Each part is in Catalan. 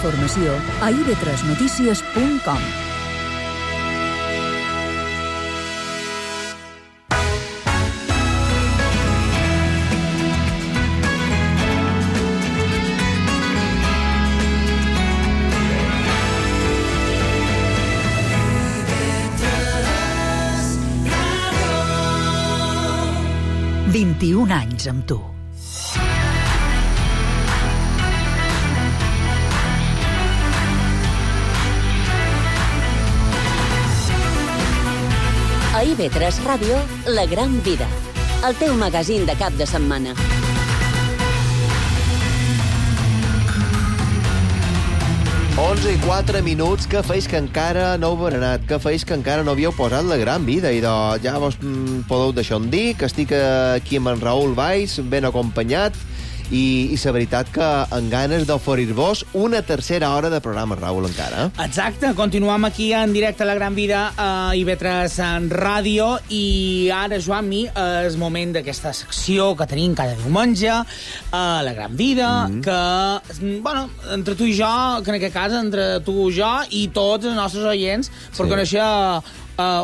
informació a ib3notícies.com. – 21 anys amb tu. A IB3 Ràdio, La Gran Vida, el teu magazín de cap de setmana. Onze i 4 minuts, que feis que encara no heu berenat, que feis que encara no havíeu posat La Gran Vida, i ja vos podeu deixar on dir que estic aquí amb en Raül Valls, ben acompanyat, i la veritat que amb ganes d'oferir-vos una tercera hora de programa, Raül, encara. Exacte, continuem aquí en directe a La Gran Vida a IB3 en ràdio, i ara, Joan-mi, és moment d'aquesta secció que tenim cada diumenge a La Gran Vida, que, bueno, entre tu i jo, que en aquest cas, entre tu i jo i tots els nostres oients, per conèixer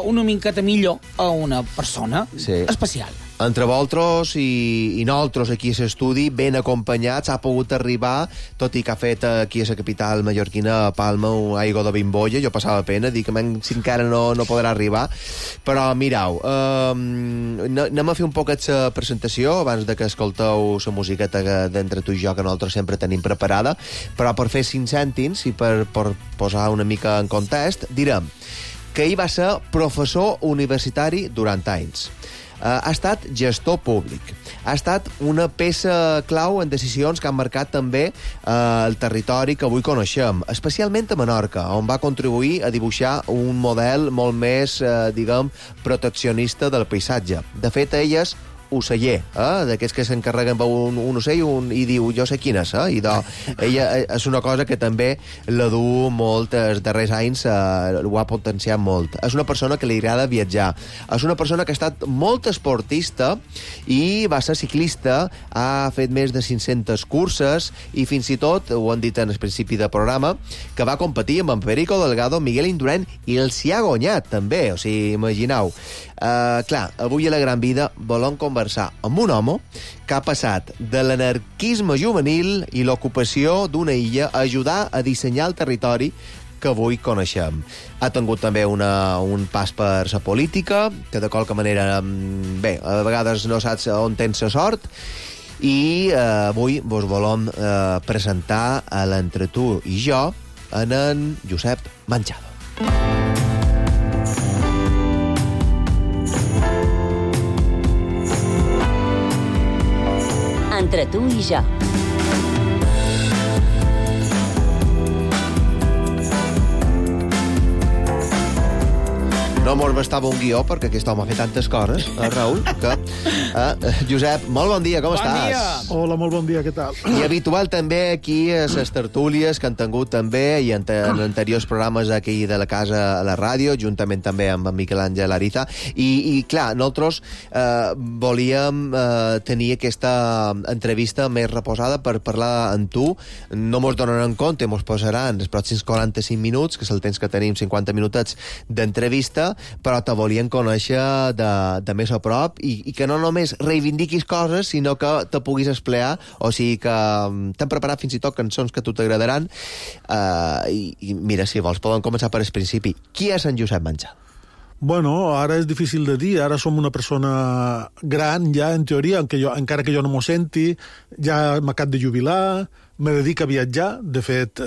una miqueta millor a una persona especial. Entre vosaltres i nosaltres aquí a l'estudi, ben acompanyats, ha pogut arribar, tot i que ha fet aquí a la capital mallorquina, a Palma, un aigua de bimbolla. Jo passava pena, dic que si encara no podrà arribar. Però mirau, anem a fer un poquet la presentació abans de que escolteu la musiqueta d'entre tu i jo, que nosaltres sempre tenim preparada. Però per fer 5 cèntims i per posar una mica en context, direm que ell va ser professor universitari durant anys. Ha estat gestor públic. Ha estat una peça clau en decisions que han marcat també el territori que avui coneixem, especialment a Menorca, on va contribuir a dibuixar un model molt més, diguem, proteccionista del paisatge. De fet, ella és oceller, d'aquests que s'encarreguen un ocell i diu, jo sé quin és, i ella és una cosa que també la du molt els darrers anys, ho ha potenciat molt. És una persona que li agrada viatjar, és una persona que ha estat molt esportista i va ser ciclista, ha fet més de 500 curses i fins i tot, ho han dit en el principi del programa, que va competir amb en Perico Delgado, Miguel Indurain, i els hi ha guanyat també, o sigui, imagineu. Clar, avui a La Gran Vida volem conversar amb un home que ha passat de l'anarquisme juvenil i l'ocupació d'una illa a ajudar a dissenyar el territori que avui coneixem. Ha tingut també un pas per la política, que de qualque manera, bé, a vegades no saps on tens la sort, i avui vos volem presentar a l'Entre tu i jo en Josep Manchado. Entre tu i jo. No mos bastava un guió, perquè aquest home ha fet tantes coses, Raül, que... Josep, molt bon dia, com estàs? Bon dia! Hola, molt bon dia, què tal? I habitual també aquí a les tertúlies que han tingut també, i en anteriors programes aquí de la casa a la ràdio, juntament també amb en Miquel Àngel Ariza, i clar, nosaltres volíem tenir aquesta entrevista més reposada per parlar amb tu. No mos donaran compte, mos posaran els pròxims 45 minuts, que és el temps que tenim, 50 minutets d'entrevista, però te volien conèixer de més a prop i que no només reivindiquis coses, sinó que te puguis esplear, o sigui que t'hem preparat fins i tot cançons que a tu t'agradaran, i mira, si vols podem començar per el principi. Qui és en Josep Manchado? Bueno, ara és difícil de dir, ara som una persona gran ja, en teoria, encara que jo no m'ho senti, ja m'acabo de jubilar, me dedic a viatjar, de fet,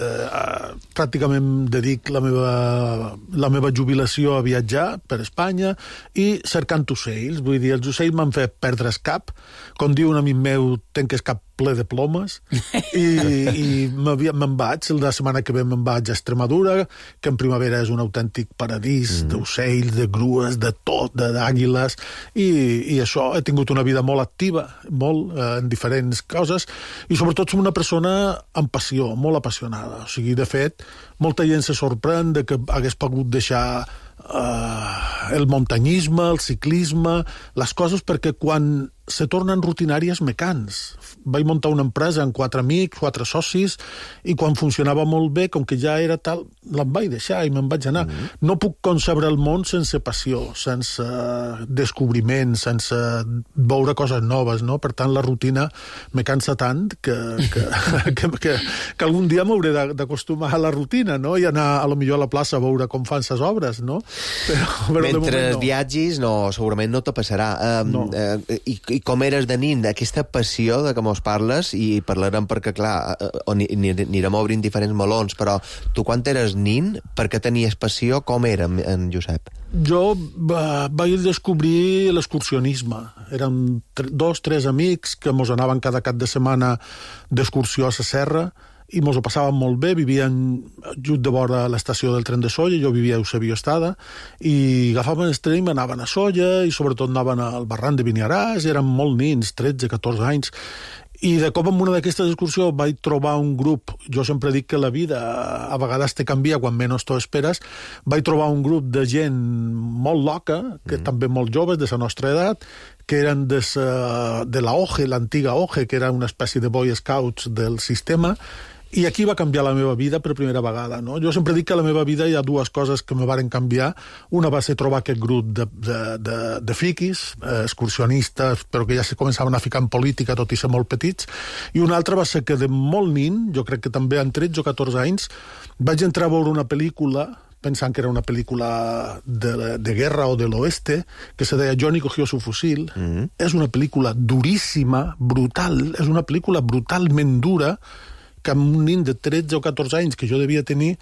pràcticament dedic la meva jubilació a viatjar per Espanya i cercant ocells, vull dir, els ocells m'han fet perdre el cap, com diu un amic meu, tenc el cap ple de plomes, i me'n vaig, la setmana que ve me'n vaig a Extremadura, que en primavera és un autèntic paradís d'ocells, de grues, de tot, d'àguiles, i això, he tingut una vida molt activa, molt, en diferents coses, i sobretot som una persona amb passió, molt apassionada. O sigui, de fet, molta gent se sorprèn de que hagués pogut deixar el muntanyisme, el ciclisme, les coses, perquè quan se tornen rutinàries me cans. Vaig muntar una empresa amb 4 amics, 4 socis, i quan funcionava molt bé, com que ja era tal, l'em vaig deixar i me'n vaig anar. No puc concebre el món sense passió, sense descobriment, sense veure coses noves, no? Per tant, la rutina me cansa tant que algun dia m'hauré d'acostumar a la rutina, no? I anar a lo millor a la plaça a veure com fan ses obres, no? Però mentre no. viatgis, no, segurament no te passarà. No. I com eres de nin, aquesta passió de què mos parles, i parlarem perquè, clar, anirem obrint diferents melons, però tu quan eres nin, per què tenies passió, com era en Josep? Jo vaig descobrir l'excursionisme. Érem 2-3 amics que mos anaven cada cap de setmana d'excursió a la serra, i mos ho passàvem molt bé, vivien just de vora l'estació del tren de Sóller, jo vivia a Eusebio Estada, i agafaven el tren i anaven a Sóller, i sobretot anaven al barranc de Beniaràs, eren molt nins, 13-14 anys, i de cop en una d'aquestes excursions vaig trobar un grup, jo sempre dic que la vida a vegades te canvia quan menys t'ho esperes, vaig trobar un grup de gent molt loca, que també molt joves, de la nostra edat, que eren de la OGE, l'antiga OGE, que era una espècie de Boy Scouts del sistema, i aquí va canviar la meva vida per primera vegada, no? Jo sempre dic que a la meva vida hi ha 2 coses que me varen canviar. Una va ser trobar aquest grup de friquis, excursionistes, però que ja se començaven a ficar en política, tot i ser molt petits, i una altra va ser que de molt nin, jo crec que també amb 13 o 14 anys, vaig entrar a veure una pel·lícula pensant que era una pel·lícula de guerra o de l'oeste, que se deia Johnny cogió su fusil. És una pel·lícula duríssima, brutal, és una pel·lícula brutalment dura, que amb un nin de 13 o 14 anys que jo devia tenir,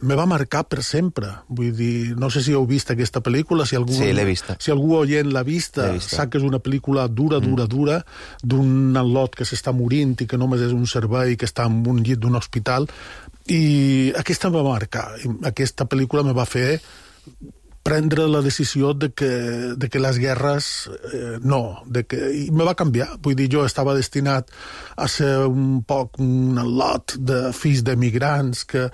me va marcar per sempre. Vull dir, no sé si heu vist aquesta pel·lícula, si algú, sí, l'he vista. Si algú oient l'ha vista, sap que és una pel·lícula dura, d'un al·lot que s'està morint i que només és un servei que està en un llit d'un hospital, i aquesta em va marcar. Aquesta pel·lícula me va fer prendre la decisió de que les guerres no, i me va canviar. Vull dir, jo estava destinat a ser un poc un lot de fills d'emigrants que,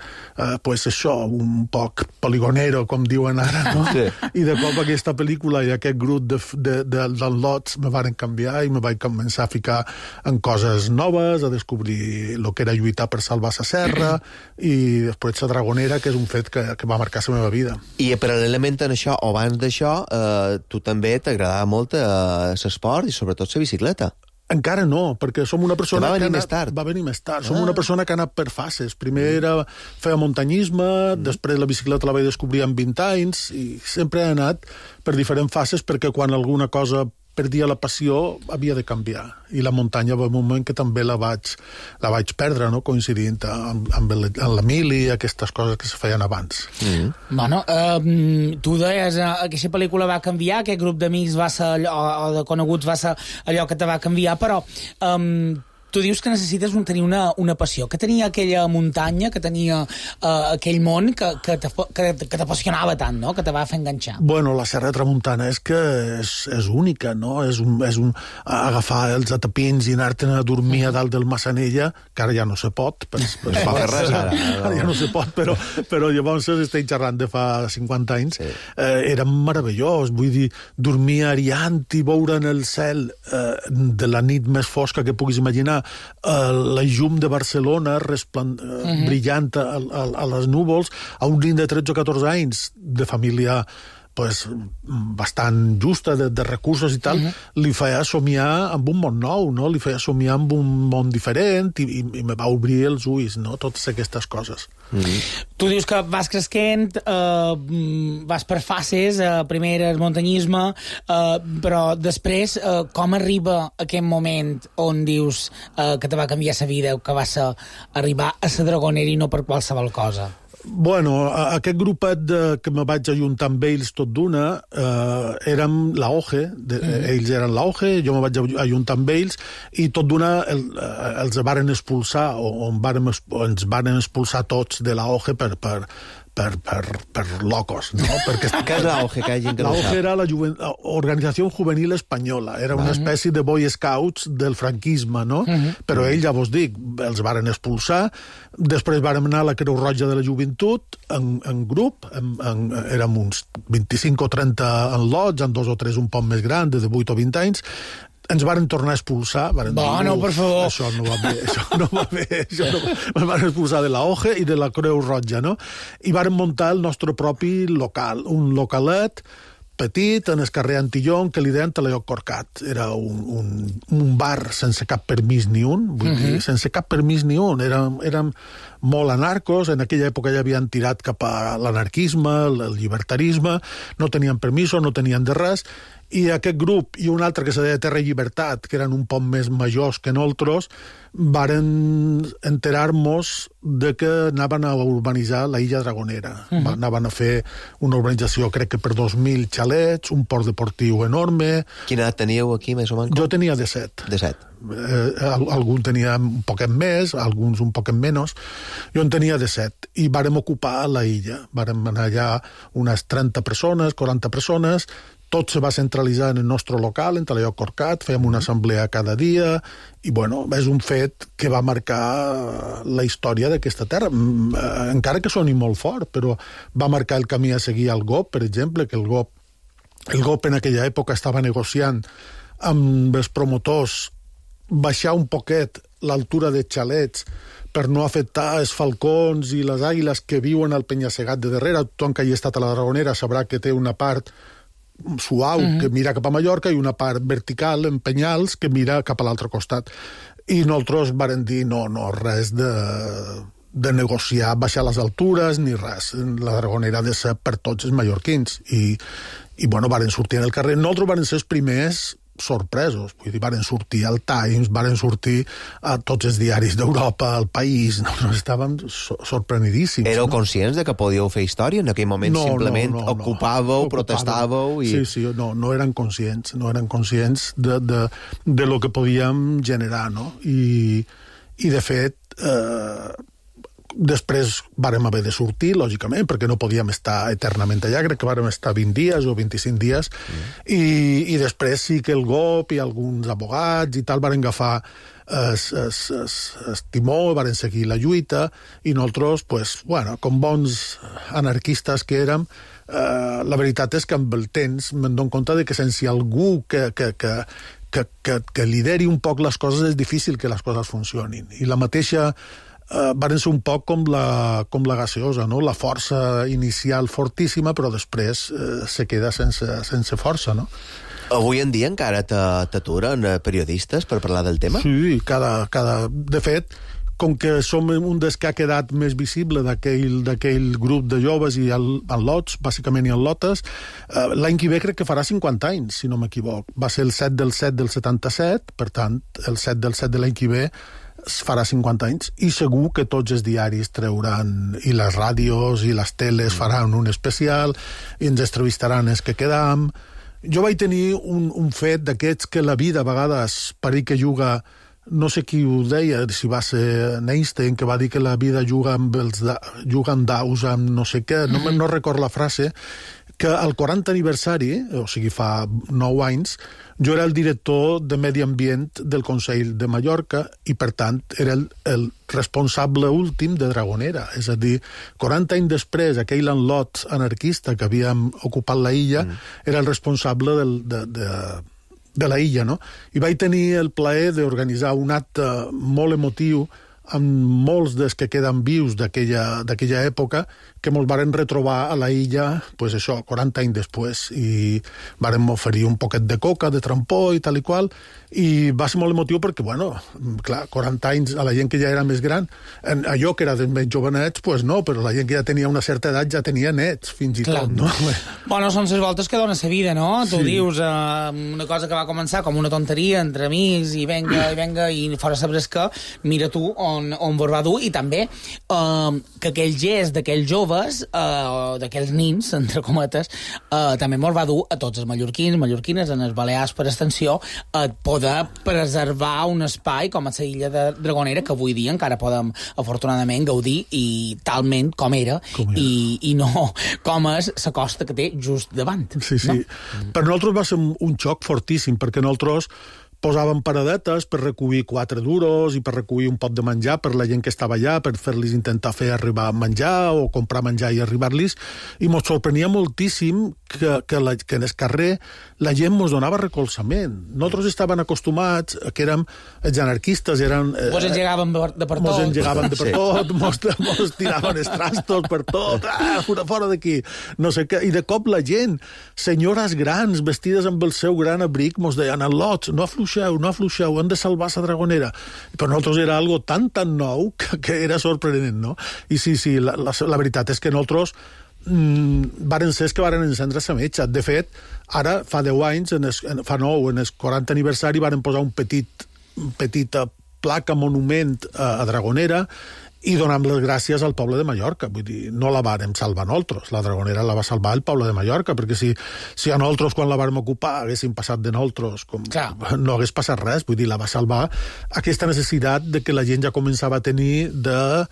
pues això, un poc poligonero, com diuen ara, no? Sí. I de cop aquesta pel·lícula i aquest grup d'al·lots me van canviar i me vaig començar a ficar en coses noves, a descobrir el que era lluitar per salvar la serra i després la Dragonera, que és un fet que va marcar la meva vida. I paral·lelament en això, o abans d'això, tu també t'agradava molt l'esport i sobretot la bicicleta. Encara no, perquè som una persona que va venir més tard. Va venir més tard. Som una persona que ha anat per fases. Primer feia muntanyisme, després la bicicleta la vaig descobrir amb 20 anys, i sempre he anat per diferents fases, perquè quan alguna cosa perdia la passió, havia de canviar. I la muntanya va un moment que també la vaig perdre, no? Coincidint amb l'Emili i aquestes coses que se feien abans. Bueno, tu deies que aquesta pel·lícula va canviar, aquest grup d'amics va ser o de coneguts va ser allò que te va canviar, però tu dius que necessites tenir una passió. Que tenia aquella muntanya, que tenia aquell món que t'apassionava tant, no? Que te va fer enganxar. Bueno, la Serra de Tramuntana és que és única, no? És un agafar els atapins i anar-te'n a dormir a dalt del Massanella, que ara ja no se pot. Ja no se pot, però llavors estic xerrant de fa 50 anys. Sí. Era meravellós, vull dir, dormir ariant i veure en el cel de la nit més fosca que puguis imaginar, la llum de Barcelona brillant a les núvols, a un nen de 13 o 14 anys de família pues, bastant justa, de recursos i tal, li feia somiar amb un món nou, no? Li feia somiar amb un món diferent i me va obrir els ulls, no? Totes aquestes coses. Tu dius que vas cresquent, vas per fases, primer el muntanyisme, però després com arriba aquest moment on dius que te va canviar la vida, que vas arribar a la Dragonera i no per qualsevol cosa? Bueno, aquest grupet que me vaig ajuntar amb ells tot d'una, érem la OGE, ells eren la OGE, jo me vaig ajuntar amb ells, i tot d'una els varen expulsar, o ens varen expulsar tots de la OGE per locos, no? Perquè què és l'AOGE, que hi ha gent que no l'AOGE sap? era la Organizació Juvenil Espanyola, era una espècie de Boy Scouts del franquisme, no? Però ells, ja vos dic, els varen expulsar, després vàrem anar a la Creu Roja de la Joventut en grup, érem uns 25 o 30 en lots, en 2 o 3 un poc més grans, de 8 o 20 anys, ens varen tornar a expulsar. Bueno, per favor. Això no va bé, ens varen expulsar de la OGE i de la Creu Roja, no? I varen muntar el nostre propi local, un localet petit, en el carrer Antillón, que li deien Talaiot Corcat. Era un bar sense cap permís ni un, vull dir, sense cap permís ni un. Érem molt anarcos, en aquella època ja havien tirat cap a l'anarquisme, el llibertarisme, no tenien permisos, no tenien de res, i aquest grup i un altre que se deia Terra i Llibertat, que eren un poc més majors que nosaltres, varen enterar-nos de que anaven a urbanitzar la Illa Dragonera. Anaven a fer una urbanització, crec que per 2.000 xalets, un port deportiu enorme. Quina edat teníeu aquí, més o menys? Jo tenia 17. 17. Algun tenia un poquet més, alguns un poquet menys. Jo en tenia 17. I vàrem ocupar la illa. Vàrem anar allà unes 30 persones, 40 persones. Tot se va centralitzar en el nostre local, en Talaiot Corcat, fèiem una assemblea cada dia, i bueno, és un fet que va marcar la història d'aquesta terra, encara que soni molt fort, però va marcar el camí a seguir al GOP, per exemple, que el GOP en aquella època estava negociant amb els promotors baixar un poquet l'altura de xalets per no afectar els falcons i les àguiles que viuen al penya-segat de darrere. Tothom que hagi estat a la Dragonera sabrà que té una part suau que mira cap a Mallorca i una part vertical en penyals que mira cap a l'altre costat. I nosaltres varen dir no, res de negociar, baixar les altures ni res. La Dragonera ha de ser per tots els mallorquins. I bueno, varen sortir en el carrer. Nosaltres varen ser els primers sorpresos, vull dir, varen sortir al Times, varen sortir a tots els diaris d'Europa, al País, estàvem sorprenidíssims. Éreu conscients de que podíeu fer història? En aquell moment simplement ocupàveu, protestàveu i... Sí, no eren conscients de lo que podíem generar, no? I de fet, després vàrem haver de sortir, lògicament, perquè no podíem estar eternament allà, crec que vàrem estar 20 dies o 25 dies, i després sí que el GOP i alguns abogats i tal varen agafar el timó, varen seguir la lluita, i nosaltres, pues, bueno, com bons anarquistes que érem, la veritat és que amb el temps me'n dono compte de que sense algú que lideri un poc les coses és difícil que les coses funcionin. I la mateixa varen ser un poc com la gaseosa, no? La força inicial fortíssima, però després se queda sense força, no? Avui en dia encara t'aturen periodistes per parlar del tema? Sí, de fet, com que som un dels que ha quedat més visible d'aquell grup de joves i en lots, bàsicament i en lotes, l'any que ve crec que farà 50 anys, si no m'equivoc. Va ser el 7 del 7 del 77, per tant, el 7 del 7 de l'any que ve farà 50 anys, i segur que tots els diaris trauran, i les ràdios i les teles faran un especial, i ens entrevistaran els que quedam. Jo vaig tenir un fet d'aquests que la vida a vegades pareix que juga, no sé qui ho deia, si va ser Einstein, que va dir que la vida juga amb daus, amb no sé què, no recordo la frase, que al 40 aniversari, o sigui fa 9 anys, jo era el director de Medi Ambient del Consell de Mallorca i, per tant, era el responsable últim de Dragonera. És a dir, 40 anys després, aquell enlot anarquista que havíem ocupat la illa era el responsable de la illa, no? I vaig tenir el plaer d'organitzar un acte molt emotiu amb molts dels que queden vius d'aquella època, que ens varen retrobar a la illa, pues això, 40 anys després, i varen oferir un poquet de coca, de trampó i tal i qual, i va ser molt emotiu perquè, bueno, clar, 40 anys a la gent que ja era més gran, allò que era dels més jovenets, pues no, però la gent que ja tenia una certa edat ja tenia nets, fins i tot, no? Bueno, són les voltes que dona la vida, no? Sí. Tu dius una cosa que va començar com una tonteria entre amics, i venga, i fora sabres que, mira tu, on vos va dur, i també que aquell gest d'aquells joves, d'aquells nins, entre cometes, també mos va dur a tots els mallorquins, mallorquines, en els balears per extensió, a poder preservar un espai com a la illa de Dragonera, que avui dia encara podem, afortunadament, gaudir i talment com era. I no com és la costa que té just davant. Sí. No? Per nosaltres va ser un xoc fortíssim, perquè nosaltres posàvem paradetes per recollir 4 duros i per recollir un pot de menjar per la gent que estava allà, per fer-los intentar fer arribar menjar o comprar menjar i arribar-los, i ens sorprenia moltíssim que en el carrer la gent ens donava recolzament. Nosaltres estaven acostumats, que érem els anarquistes, Mos engegaven de per tot. Mos engegaven de per tot, mos tiraven els trastos per tot, fora d'aquí, no sé què, i de cop la gent, senyores grans, vestides amb el seu gran abric, mos deien, al·lots, no afluixeu, hem de salvar la Dragonera. Per nosaltres era algo tan nou que era sorprenent, no? I sí, la veritat és que nosaltres varen ser que varen encendre la metxa. De fet, ara, fa 10 anys, fa 9, en el 40 aniversari, varen posar un petita placa, monument a Dragonera, i donem les gràcies al poble de Mallorca. Vull dir, no la vàrem salvar nosaltres, la Dragonera la va salvar el poble de Mallorca, perquè si a nosaltres, quan la vàrem ocupar, haguéssim passat de nosaltres, no hagués passat res. Vull dir, la va salvar aquesta necessitat de que la gent ja començava a tenir de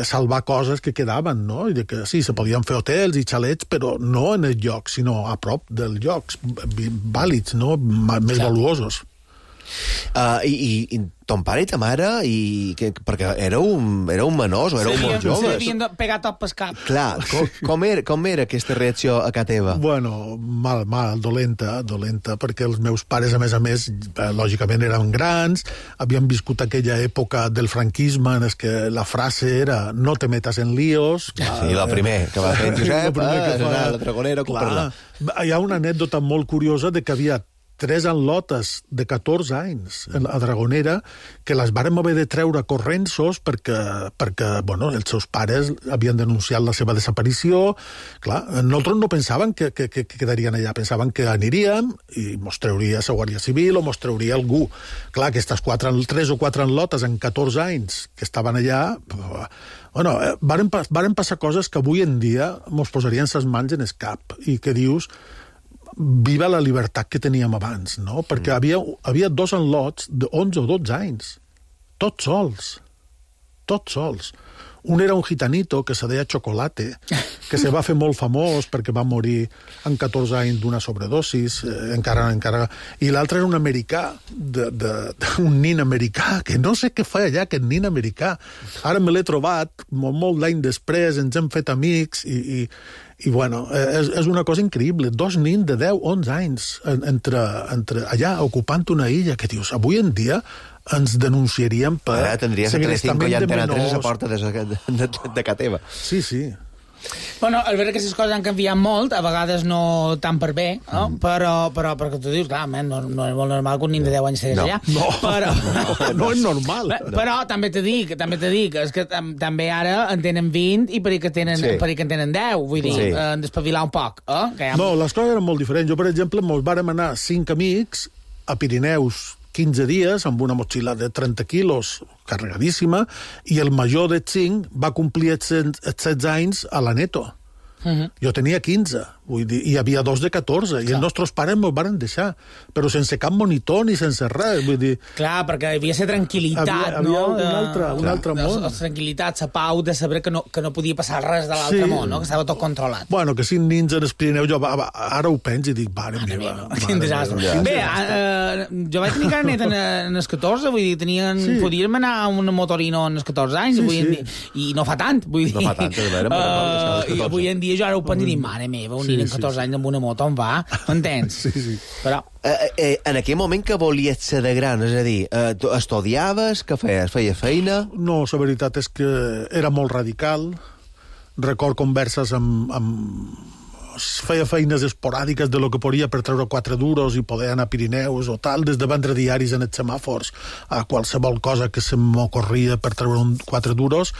salvar coses que quedaven, no? I de que sí, se podien fer hotels i xalets, però no en el lloc, sinó a prop dels llocs vàlids, no? Més valuosos. I ton pare i ta mare, perquè éreu menors o éreu molt joves. S'havien de pegar tot pel cap. Clar, com era aquesta reacció a casa teva? Bueno, mal, dolenta, perquè els meus pares, a més, lògicament eren grans, havien viscut aquella època del franquisme en què la frase era no te metas en líos. Sí, la primer que va fer en Josep, la Dragonera, ocupar-la. Hi ha una anècdota molt curiosa de que havia 3 enlotes de 14 anys a Dragonera que les vàrem haver de treure correnços perquè bueno, els seus pares havien denunciat la seva desaparició. Clar, nosaltres no pensaven que quedarien allà, pensaven que aniríem i mos trauria la Guàrdia Civil o mos trauria algú. Clar, aquestes 3 o 4 enlotes en 14 anys que estaven allà, bueno, varen passar coses que avui en dia mos posarien les mans en el cap i que dius viva la llibertat que teníem abans, no? Perquè havia 2 enlots de 11 o 12 anys, tots sols. Un era un gitanito que se deia Chocolate, que se va fer molt famós perquè va morir en 14 anys d'una sobredosis, encara. I l'altre era un americà, un nin americà, que no sé què fa allà, aquest nin americà. Ara me l'he trobat, molt d'any després, ens hem fet amics, i bueno, és una cosa increïble. 2 nins de 10-11 anys entre allà, ocupant una illa, que dius, avui en dia ens denunciaríem per tindries segrestament de menors. Tindries a la porta de casa teva. Sí. Bueno, és veritat que aquestes coses han canviat molt, a vegades no tan per bé, no? Però perquè tu dius, clar, no és molt normal que un nin de 10 anys estigués allà. No és normal. Però també te dic, és que també ara en tenen 20 i per que en tenen 10, vull dir, despavilar un poc. No, les coses eren molt diferents. Jo, per exemple, mos vàrem anar 5 amics a Pirineus 15 dies amb una motxilla de 30 quilos carregadíssima, i el major de 5 va complir els 16 anys a l'Aneto. Jo tenia 15, vull dir, i hi havia 2 de 14, i els nostres pares m'ho van deixar, però sense cap monitor ni sense res, vull dir... Clar, perquè havia ser tranquil·litat, no? Un altre món. La tranquil·litat, la pau de saber que no podia passar res de l'altre món, no? Que estava tot controlat. Bueno, que 5 nins en el Pirineu, jo ara ho penso i dic, mare meva. Quin desastre. Bé, jo vaig tenir carnet en els 14, vull dir, podíem anar a un motorino en els 14 anys, i no fa tant, vull dir. No fa tant, i avui en dia jo ara ho penso i dic, mare meva, un nin en 14 anys amb una moto on va, m'entens? Sí. Però... En aquell moment que volies ser de gran, és a dir, tu estudiaves, què feies? Feies feina? No, la veritat és que era molt radical. Record converses amb feia feines esporàdiques de lo que podia per treure 4 duros i poder anar a Pirineus o tal, des de vendre diaris en els semàfors a qualsevol cosa que se m'ocorria per treure 4 duros.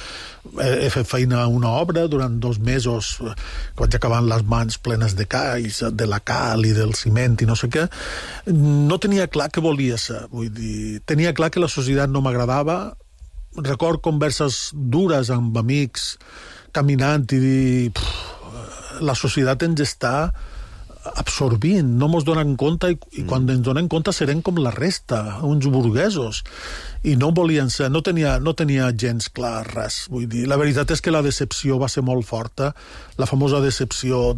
He fet feina a una obra durant 2 mesos, que vaig acabar amb les mans plenes de calls, de la cal i del ciment i no sé què. No tenia clar què volia ser, vull dir, tenia clar que la societat no m'agradava record converses dures amb amics, caminant i dir... La societat ens està absorbint, no mos donen compte i quan ens donem compte serem com la resta, uns burguesos, i no volien ser, no tenia gens clar res. Vull dir, la veritat és que la decepció va ser molt forta, la famosa decepció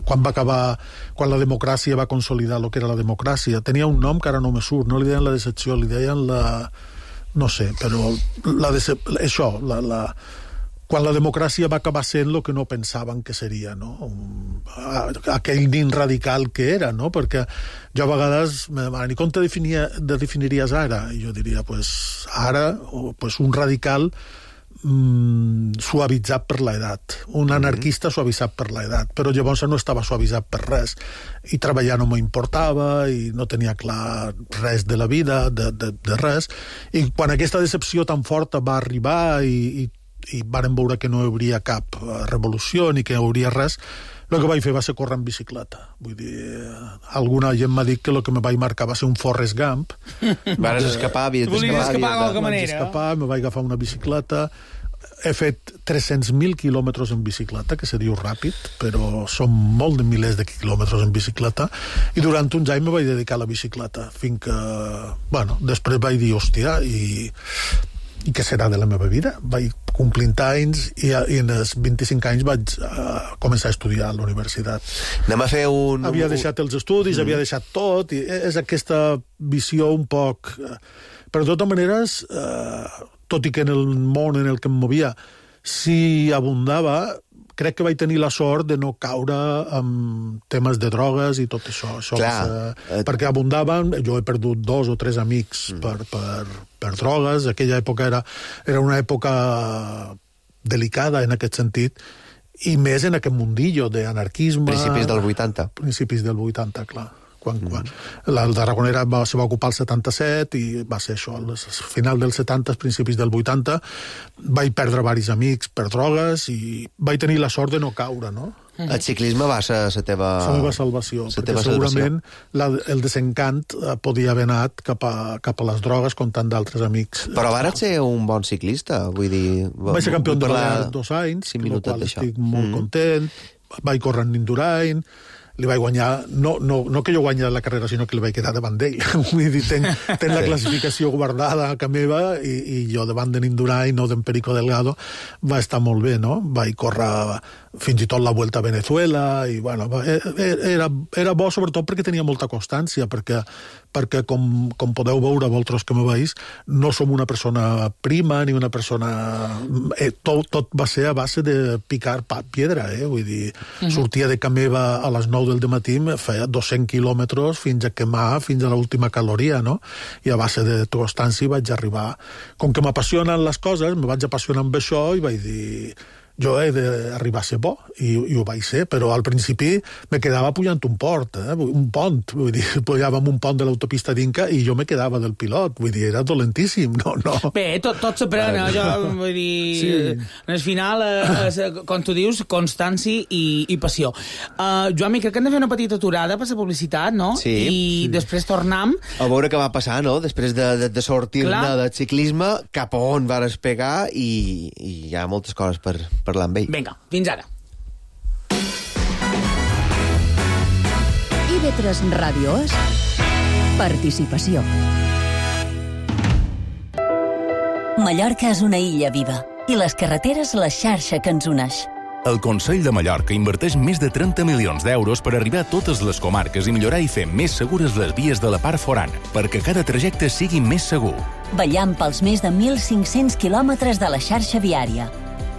quan la democràcia va consolidar el que era la democràcia. Tenia un nom que ara no me surt, no li deien la decepció, li deien la... no sé, però quan la democràcia va acabar sent el que no pensaven que seria, no? Aquell nin radical que era, no? Perquè jo a vegades i com te definiries ara? I jo diria, ara, un radical suavitzat per l'edat, un anarquista suavitzat per l'edat, però llavors no estava suavitzat per res, i treballar no m'importava, i no tenia clar res de la vida, de res, i quan aquesta decepció tan forta va arribar i vàrem veure que no hi hauria cap revolució ni que hi hauria res, el que vaig fer va ser córrer en bicicleta. Vull dir, alguna gent m'ha dit que el que me vaig marcar va ser un Forrest Gump. Vas escapar, havies d'escapar. Volies escapar d'alguna manera. Vaig escapar, me vaig agafar una bicicleta. He fet 300.000 quilòmetres en bicicleta, que se diu ràpid, però són molt de milers de quilòmetres en bicicleta, i durant uns anys me vaig dedicar a la bicicleta, fins que, després vaig dir, hòstia, i què serà de la meva vida? Vaig complint anys i en els 25 anys vaig començar a estudiar a la universitat. Anem a fer Havia deixat els estudis, havia deixat tot, i és aquesta visió un poc... Però de totes maneres, tot i que en el món en el que em movia si abundava, crec que vaig tenir la sort de no caure en temes de drogues i tot això. Perquè abundaven, jo he perdut 2 o 3 amics per drogues, aquella època era una època delicada en aquest sentit, i més en aquest mundillo d'anarquisme... Principis del 80. Principis del 80, clar. El Tarragonera se va ocupar el 77 i va ser això, al final dels 70, principis del 80, vaig perdre diversos amics per drogues i vaig tenir la sort de no caure, no? El ciclisme va ser la teva... La meva salvació, perquè segurament el desencant podia haver anat cap a les drogues com tant d'altres amics. Però vas ser un bon ciclista, vull dir... Vaig ser campió de Balears 2 anys, amb el qual estic molt content, vaig córrer en Indurain, li vaig guanyar, no que jo guanyi la carrera, sinó que li vaig quedar davant d'ell. Vull dir, tenc la classificació guardada a casa meva i jo davant de Indurain, no d'en Perico Delgado, va estar molt bé, no? Vaig córrer fins i tot la Vuelta a Venezuela i, era bo sobretot perquè tenia molta constància, perquè com podeu veure vosaltres que me veus, no som una persona prima ni una persona... Tot va ser a base de picar piedra, vull dir, sortia de casa meva a les 9 del dematí, feia 200 quilòmetres fins a quemar, fins a l'última caloria, no? I a base de constància vaig arribar... Com que m'apassionen les coses, me vaig apassionar amb això i vaig dir... Jo he d'arribar a ser bo, i ho vaig ser, però al principi me quedava pujant un pont, vull dir, pujàvem un pont de l'autopista d'Inca i jo me quedava del pilot, vull dir, era dolentíssim, no. Bé, tot s'aprèn, jo vull dir, sí. Al final, com tu dius, constància i passió. Joan, crec que hem de fer una petita aturada per la publicitat, no? Sí. I després tornem... A veure què va passar, no? Després de sortir-ne del ciclisme, cap a on vas pegar i hi ha moltes coses per parlar amb ell. Vinga, fins ara. IB3 Ràdio és participació. Mallorca és una illa viva i les carreteres la xarxa que ens uneix. El Consell de Mallorca inverteix més de 30 milions d'euros per arribar a totes les comarques i millorar i fer més segures les vies de la part forana, perquè cada trajecte sigui més segur. Vetllant pels més de 1.500 quilòmetres de la xarxa viària.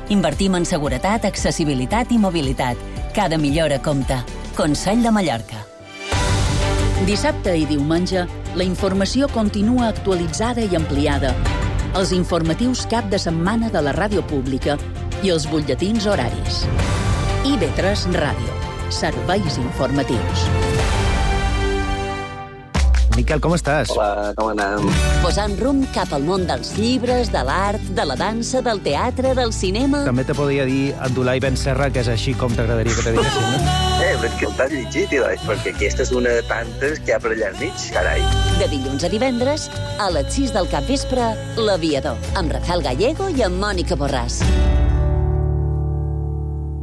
Invertim en seguretat, accessibilitat i mobilitat. Cada millora compta. Consell de Mallorca. Dissabte i diumenge, la informació continua actualitzada i ampliada. Els informatius cap de setmana de la ràdio pública i els butlletins horaris. IB3 Ràdio. Serveis informatius. Miquel, com estàs? Hola, com anem? Posant rumb cap al món dels llibres, de l'art, de la dansa, del teatre, del cinema... També te podria dir Abdulai Ben Serra, que és així com t'agradaria que te diguessin, no? Però és que t'has llegit, perquè aquesta és una de tantes que hi ha per allà al mig, carai. De dilluns a divendres, a les 6 del capvespre, L'Aviador, amb Rafael Gallego i amb Mònica Borràs.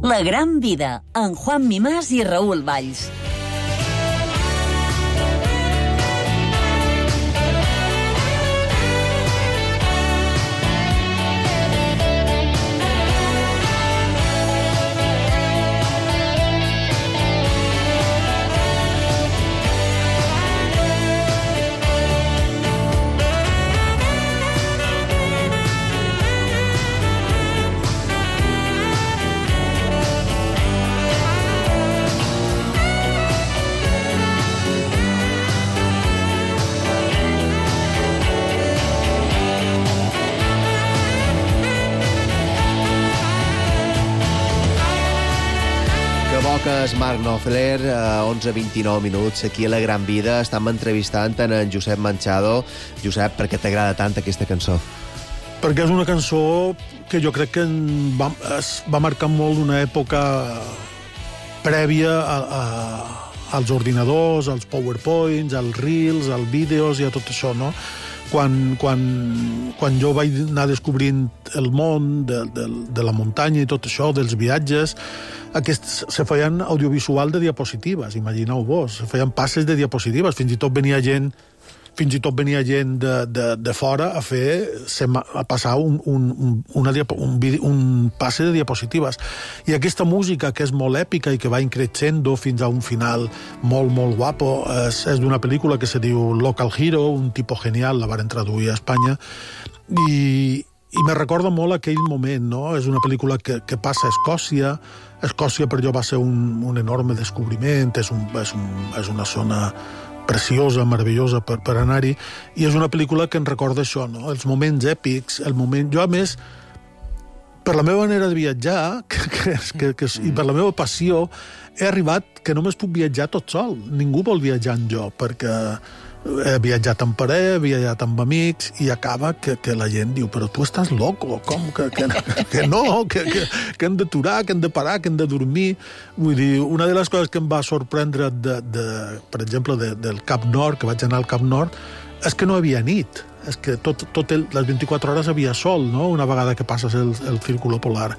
La gran vida, amb Juan Mimàs i Raül Valls. És Marc Knopfler, 11:29 minuts, aquí a La Gran Vida. Estem entrevistant en Josep Manchado. Josep, per què t'agrada tant aquesta cançó? Perquè és una cançó que jo crec que va marcar molt una època prèvia als ordinadors, als PowerPoints, als Reels, als vídeos i a tot això, no? Quan jo vaig anar descobrint el món de la muntanya i tot això, dels viatges, aquests se feien audiovisual de diapositives, imagineu-vos, se feien passes de diapositives, fins i tot venia gent de fora a passar un passe de diapositives. I aquesta música, que és molt èpica i que va increixendo fins a un final molt, molt guapo, és d'una pel·lícula que se diu Local Hero, un tipo genial, la varen traduir a Espanya, i me recorda molt aquell moment, no? És una pel·lícula que passa a Escòcia. Escòcia per jo va ser un enorme descobriment, és una zona preciosa, meravellosa per anar-hi, i és una pel·lícula que ens recorda això, no? Els moments èpics, Jo, a més, per la meva manera de viatjar, i per la meva passió, he arribat que només puc viatjar tot sol. Ningú vol viatjar amb jo, perquè he viatjat amb parella, he viatjat amb amics, i acaba que la gent diu, però tu estàs loco, com? Que no, que hem d'aturar, que hem de parar, que hem de dormir. Vull dir, una de les coses que em va sorprendre, per exemple, del Cap Nord, que vaig anar al Cap Nord, és que no hi havia nit. És que les 24 hores havia sol, no?, una vegada que passes el círculo polar.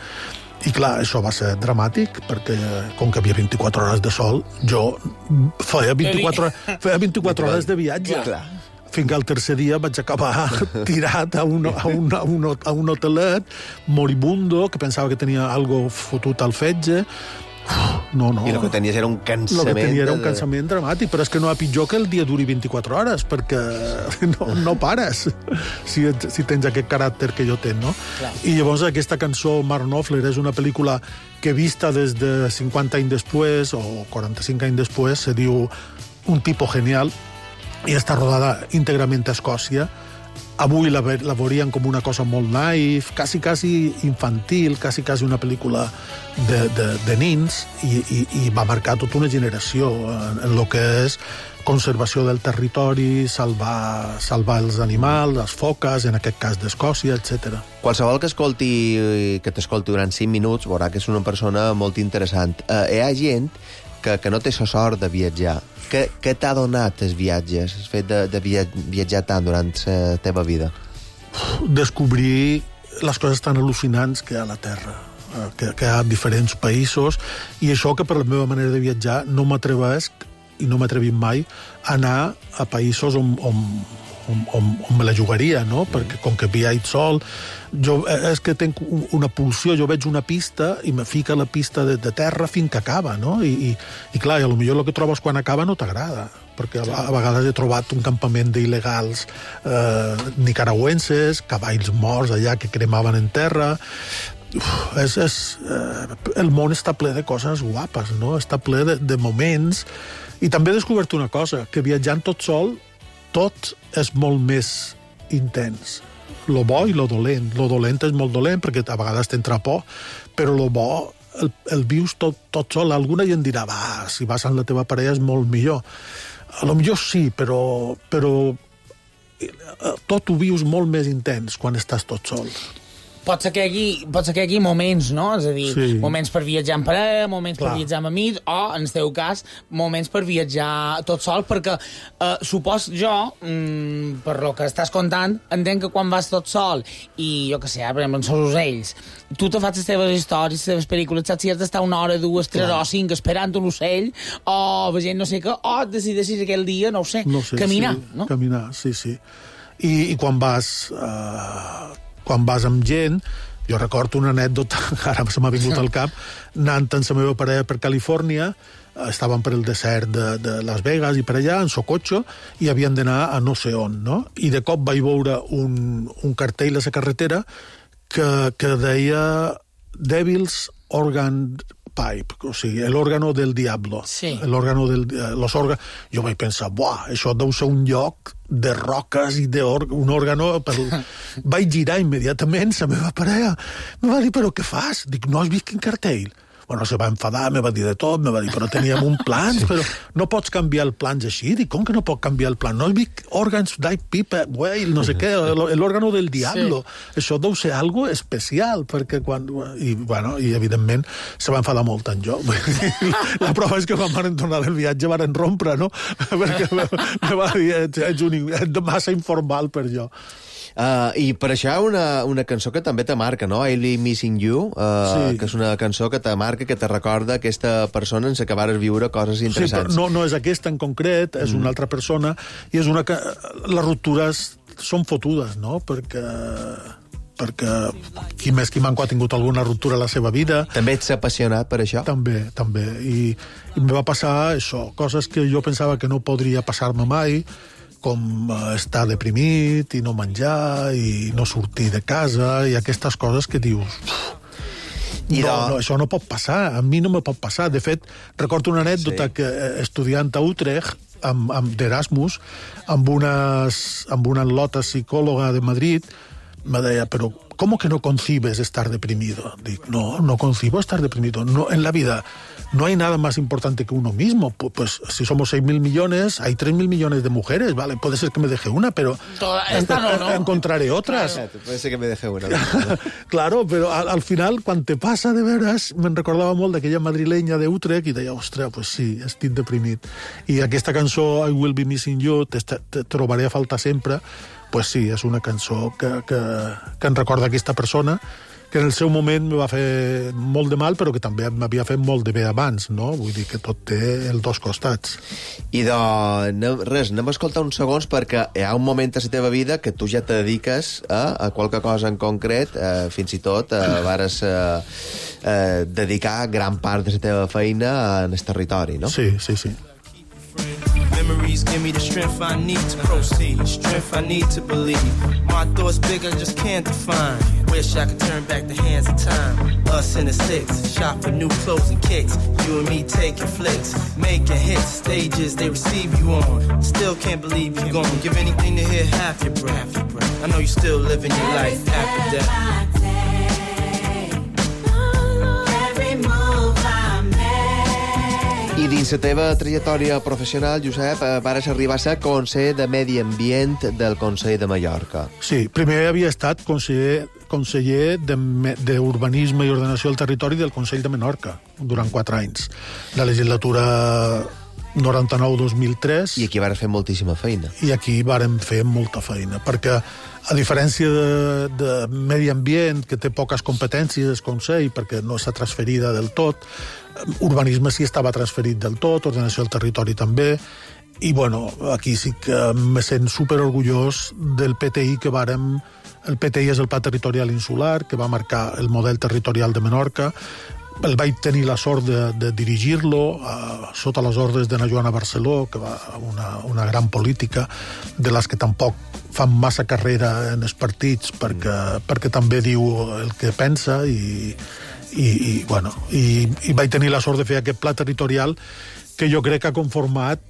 I clar, això va ser dramàtic, perquè com que havia 24 hores de sol, jo feia 24 hores de viatge. Fins que el tercer dia vaig acabar tirat a un hotelet moribundo, que pensava que tenia algo fotut al fetge. No. I el que tenies era un cansament... El que tenia era un cansament dramàtic, però és que no hi ha pitjor que el dia duri 24 hores, perquè no pares si tens aquest caràcter que jo tenc, no? Clar. I llavors aquesta cançó, Mark Knopfler, és una pel·lícula que vista des de 50 anys després, o 45 anys després, se diu Un tipo genial, i està rodada íntegrament a Escòcia. Avui la veurien com una cosa molt naïf, quasi infantil, quasi una pel·lícula de nins, i va marcar tota una generació en el que és conservació del territori, salvar els animals, les foques, en aquest cas d'Escòcia, etc. Qualsevol que t'escolti durant 5 minuts veurà que és una persona molt interessant. Hi ha gent que no té la sort de viatjar. Què t'ha donat els viatges, el fet de viatjar tant durant la teva vida? Descobrir les coses tan al·lucinants que hi ha a la Terra, que hi ha diferents països, i això que per la meva manera de viatjar no m'atreveix, i no m'atrevim mai, a anar a països on me la jugaria, no? Perquè com que viatge sol, és que tinc una pulsió, jo veig una pista i me fica la pista de terra fins que acaba, no? I clar, i potser el que trobes quan acaba no t'agrada, perquè a vegades he trobat un campament d'il·legals nicaragüenses, cavalls morts allà que cremaven en terra. El món està ple de coses guapes, no? Està ple de moments. I també he descobert una cosa, que viatjant tot sol tot és molt més intens. Lo bo i lo dolent. Lo dolent és molt dolent perquè a vegades t'entra por, però lo bo el vius tot sol. Alguna gent dirà, si vas amb la teva parella és molt millor. A lo millor sí, però tot ho vius molt més intens quan estàs tot sol. Pot ser que hi hagi moments, no? És a dir, Sí. moments per viatjar en parella, moments Clar. per viatjar amb amics, o, en el teu cas, moments per viatjar tot sol, perquè supos jo, per lo que estàs contant, entenc que quan vas tot sol i, jo què sé, per exemple, amb els ocells, tu te fas les teves històries, les teves pel·lícules, saps si has d'estar 1 hora, 2, 3 o 5 esperant un ocell, o veient no sé què, o decideixis aquell dia, no ho sé, caminar, sí, no? Caminar, sí. I quan vas amb gent, jo recordo una anècdota, ara se m'ha vingut al cap, anant amb la meva parella per Califòrnia, estàvem per el desert de Las Vegas i per allà, en su cotxe, i havien d'anar a no sé on, no? I de cop vaig veure un cartell a la carretera que deia Devil's Organ Pipe, o sigui, l'òrgano del diablo. Sí. Jo vaig pensar, buah, això deu ser un lloc de roques i un òrgano... Vaig girar immediatament, la meva parella me va dir, però què fas? Dic, no has vist quin cartell? Bueno, se va enfadar, me va dir de tot, me va dir, però teníem un plan, però no pots canviar el plans així. Dic, com que no pot canviar el plan? No has vist òrgans d'ai pipa, whale, no sé què, l'òrgano del diablo. Sí. Això deu ser algo especial, perquè quan... I evidentment, se va enfadar molt en jo. La prova és que quan van tornar del viatge van rompre, no? Perquè me va dir, ets massa informal per jo. I per això una cançó que també te marca, no? I'll Be Missing You, sí. Que és una cançó que te marca, que te recorda aquesta persona en la que vares viure coses interessants. Sí, però no és aquesta en concret, és una altra persona, i és una que... Les ruptures són fotudes, no? Perquè qui més qui manco ha tingut alguna ruptura a la seva vida. També ets apassionat per això? També. I em va passar això, coses que jo pensava que no podria passar-me mai, com estar deprimit i no menjar i no sortir de casa i aquestes coses que dius... No, això no pot passar, a mi no me pot passar. De fet, recordo una anècdota que estudiant a Utrecht, d'Erasmus, amb una lota psicòloga de Madrid, me deia, però ¿cómo que no concibes estar deprimido? Dic, no concibo estar deprimido. No, en la vida no hay nada más importante que uno mismo. Pues si somos 6.000 millones, hay 3.000 millones de mujeres, ¿vale? Puede ser que me deje una, pero encontraré otras. Puede ser que me deje una. Claro, però al final, quan te passa de veres, me'n recordava molt d'aquella madrilenya de Utrecht i deia, ostres, pues sí, estic deprimit. I aquesta cançó, I Will Be Missing You, te trobaré a faltar sempre, pues sí, és una cançó que em recorda aquesta persona, que en el seu moment me va fer molt de mal, però que també m'havia fet molt de bé abans, no? Vull dir que tot té els dos costats. I anem a escoltar uns segons, perquè hi ha un moment a la teva vida que tu ja te dediques a qualque cosa en concret, fins i tot vares dedicar gran part de la teva feina en el territori, no? Sí. Memories give me the strength I need to proceed, strength I need to believe. My thoughts big, I just can't define. Wish I could turn back the hands of time. Us in the six, shop for new clothes and kicks. You and me taking flicks, making hits, stages they receive you on. Still can't believe you're gone. Give anything to hear half your breath. I know you're still living your life after death. I dins la teva trajectòria professional, Josep, vares arribar a ser conseller de Medi Ambient del Consell de Mallorca. Sí, primer havia estat conseller d'Urbanisme i Ordenació del Territori del Consell de Menorca, durant 4 anys. La legislatura 99-2003... I aquí vares fer moltíssima feina. I aquí vàrem fer molta feina, perquè a diferència de Medi Ambient, que té poques competències del Consell, perquè no està transferida del tot, urbanisme sí estava transferit del tot, ordenació del territori també, i bueno, aquí sí que me sent superorgullós del PTI que vàrem... El PTI és el Pla Territorial Insular, que va marcar el model territorial de Menorca. El vaig tenir la sort de dirigir-lo sota les ordres de na Joana Barceló, que va una gran política, de les que tampoc fan massa carrera en els partits, perquè també diu el que pensa i vaig tenir la sort de fer aquest pla territorial que jo crec que ha conformat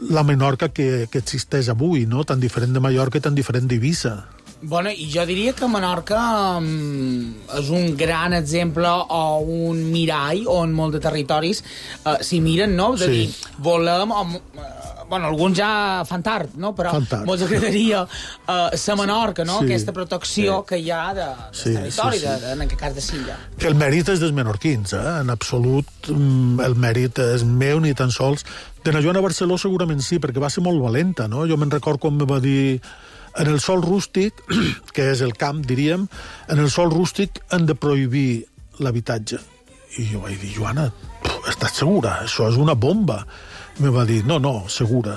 la Menorca que existeix avui, no? Tan diferent de Mallorca i tan diferent d'Eivissa. Bueno, i jo diria que Menorca és un gran exemple o un mirall on molts de territoris s'hi miren, no? És a dir, volem... Bueno, alguns ja fan tard, no? Però molts agradaria ser Menorca, no? Aquesta protecció que hi ha del territori, en aquest cas de Silla. Que el mèrit és dels menorquins, en absolut el mèrit és meu, ni tan sols. De la Joana Barceló segurament sí, perquè va ser molt valenta, no? Jo me'n record quan me va dir en el sòl rústic, que és el camp, diríem, en el sòl rústic han de prohibir l'habitatge. I jo vaig dir, Joana, estàs segura? Això és una bomba. I me va dir, no, segura.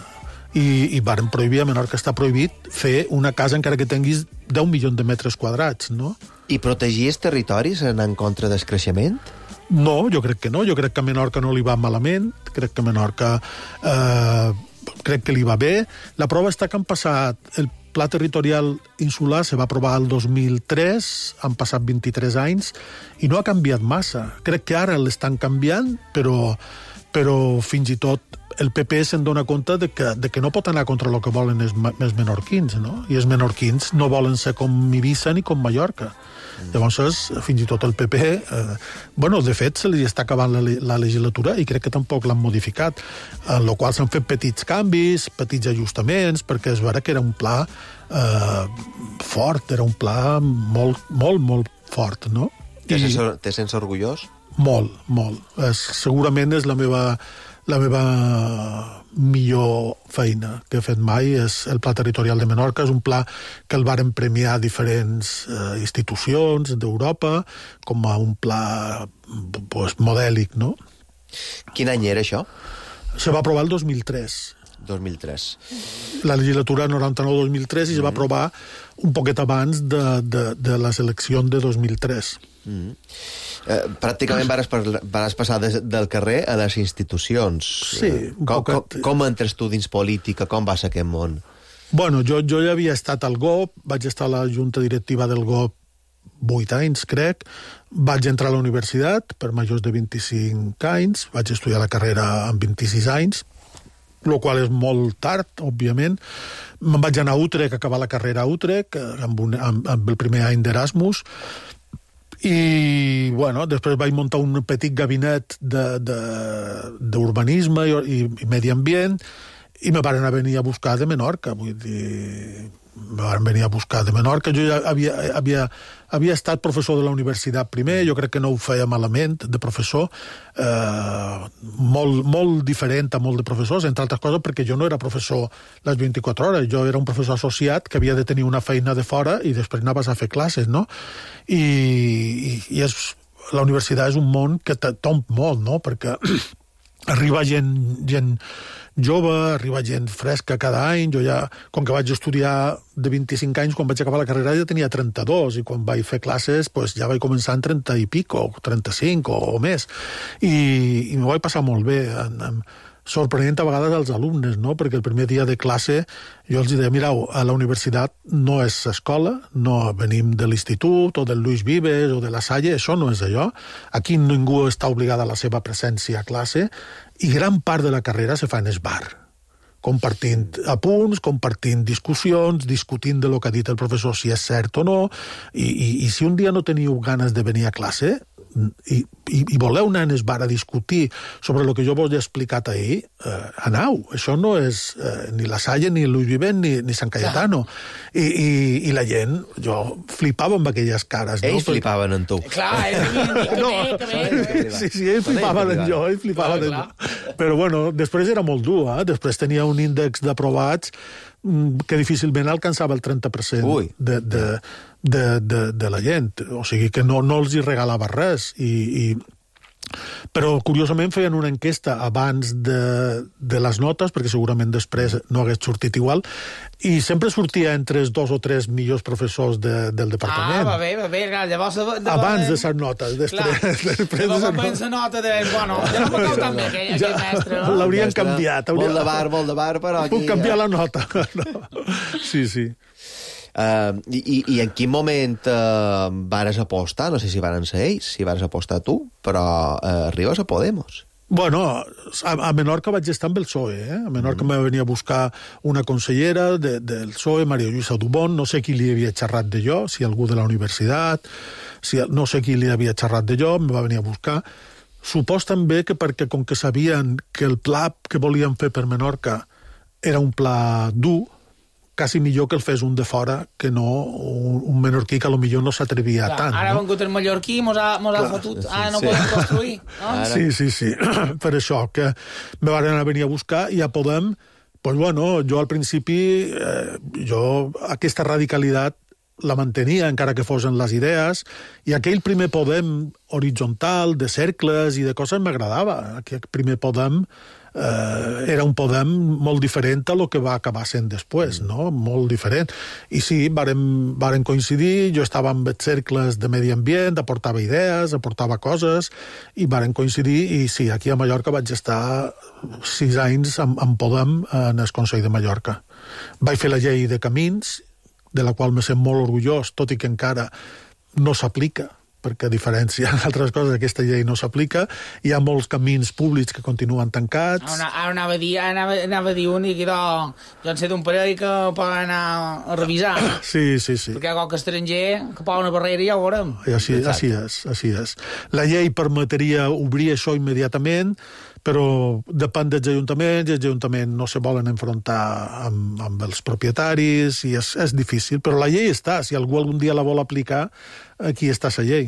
I varen prohibir, a Menorca està prohibit fer una casa encara que tinguis 10 milions de metres quadrats, no? I protegir els territoris en contra del creixement? No, jo crec que no. Jo crec que a Menorca no li va malament. Crec que a Menorca crec que li va bé. La prova està que han passat... El Pla Territorial Insular se va aprovar el 2003, han passat 23 anys, i no ha canviat massa. Crec que ara l'estan canviant, però fins i tot el PP se'n dona compte de que no pot anar contra el que volen els menorquins, no? I els menorquins no volen ser com Eivissa ni com Mallorca. Llavors, fins i tot el PP... de fet, se li està acabant la legislatura i crec que tampoc l'han modificat, en la qual s'han fet petits canvis, petits ajustaments, perquè es veurà que era un pla fort, era un pla molt, molt, molt fort, no? Te sents orgullós? Molt, molt. Segurament és la meva millor feina que he fet mai, és el Pla Territorial de Menorca. És un pla que el varen premiar diferents institucions d'Europa com a un pla modèlic, no? Quin any era això? Se va aprovar el 2003. 2003. La legislatura 99-2003 i se va aprovar un poquet abans de les eleccions de 2003. Pràcticament vas passar del carrer a les institucions. Sí. Com entres tu dins política? Com vas a aquest món? Bueno, jo ja havia estat al GOP, vaig estar a la junta directiva del GOP 8 anys, crec. Vaig entrar a la universitat per majors de 25 anys, vaig estudiar la carrera amb 26 anys, el qual és molt tard, òbviament. Me'n vaig anar a Utrecht, a acabar la carrera a Utrecht, amb el primer any d'Erasmus, i, després vaig muntar un petit gabinet d'urbanisme i medi ambient, i me van venir a buscar de Menorca, vull dir... Me van venir a buscar de Menorca. Jo ja havia estat professor de la universitat primer, jo crec que no ho feia malament, de professor, molt diferent a molt de professors, entre altres coses perquè jo no era professor les 24 hores, jo era un professor associat que havia de tenir una feina de fora i després anaves a fer classes, no? I la universitat és un món que tomb molt, no? Perquè arriba gent jove, arriba gent fresca cada any. Jo ja, com que vaig estudiar de 25 anys, quan vaig acabar la carrera ja tenia 32, i quan vaig fer classes ja vaig començar en 30 i pico, 35 o més. I m'ho vaig passar molt bé, sorprenent a vegades als alumnes, no? Perquè el primer dia de classe jo els deia, mireu, a la universitat no és escola, no venim de l'institut o del Luis Vives o de la Salle, això no és allò. Aquí ningú està obligat a la seva presència a classe, i gran part de la carrera se fa en el bar, compartint apunts, compartint discussions, discutint de lo que ha dit el professor, si és cert o no, i si un dia no teniu ganes de venir a classe i voleu anar en el bar a discutir sobre el que jo vos he explicat ahir, anau. Això no és ni la Salle, ni Luis Vives, ni Sant Cayetano. I la gent, jo flipava amb aquelles cares. Ells flipaven en tu. Clar, sí, ells flipaven en jo, ells flipaven en jo. Però bueno, després era molt dur, després tenia un índex d'aprovats que difícilment alcançava el 30% de la gent. O sigui que no els hi regalava res. Però, curiosament, feien una enquesta abans de les notes, perquè segurament després no hagués sortit igual, i sempre sortia entre els 2 o 3 millors professors del departament. Va bé, llavors... Abans de les notes, després de la nota de... Bueno, ja no m'ho cau tan bé, aquell mestre. L'haurien canviat. Molt de bar, però... Puc canviar la nota. Sí. I en quin moment vares apostar? No sé si varen ser ells, si vares apostar tu, però arribes a Podemos. Bueno, a Menorca vaig estar amb el PSOE, A Menorca me venia a buscar una consellera del PSOE, Maria Lluïsa Dubón, no sé qui li havia xerrat de jo, si algú de la universitat, no sé qui li havia xerrat de jo, me va venir a buscar. Supos també que perquè com que sabien que el pla que volien fer per Menorca era un pla dur, quasi millor que el fes un de fora que no un menorquí que potser no s'atrevia tant. Ara ha vengut el mallorquí, mos ha fotut. Ara no podem construir. No? Sí. Per això, que me van anar a venir a buscar i ja podem... Pues bueno, jo al principi, aquesta radicalitat la mantenia, encara que fossin les idees, i aquell primer Podem horitzontal, de cercles i de coses, m'agradava. Aquell primer Podem era un Podem molt diferent a lo que va acabar sent després, no? Molt diferent. I sí, varen coincidir, jo estava amb els cercles de medi ambient, aportava idees, aportava coses, i varen coincidir, i sí, aquí a Mallorca vaig estar 6 anys amb Podem en el Consell de Mallorca. Vaig fer la llei de camins, de la qual me sent molt orgullós, tot i que encara no s'aplica, perquè a diferència d'altres coses aquesta llei no s'aplica, hi ha molts camins públics que continuen tancats. Ara anava a dir un i que jo en sé d'un parell que poden anar a revisar. Sí. Perquè qualque estranger que posa una barrera i ja ho veurem. Així és. La llei permetria obrir això immediatament, però depèn dels ajuntaments, i els ajuntaments no se volen enfrontar amb els propietaris, i és difícil, però la llei està. Si algú algun dia la vol aplicar, aquí està la llei.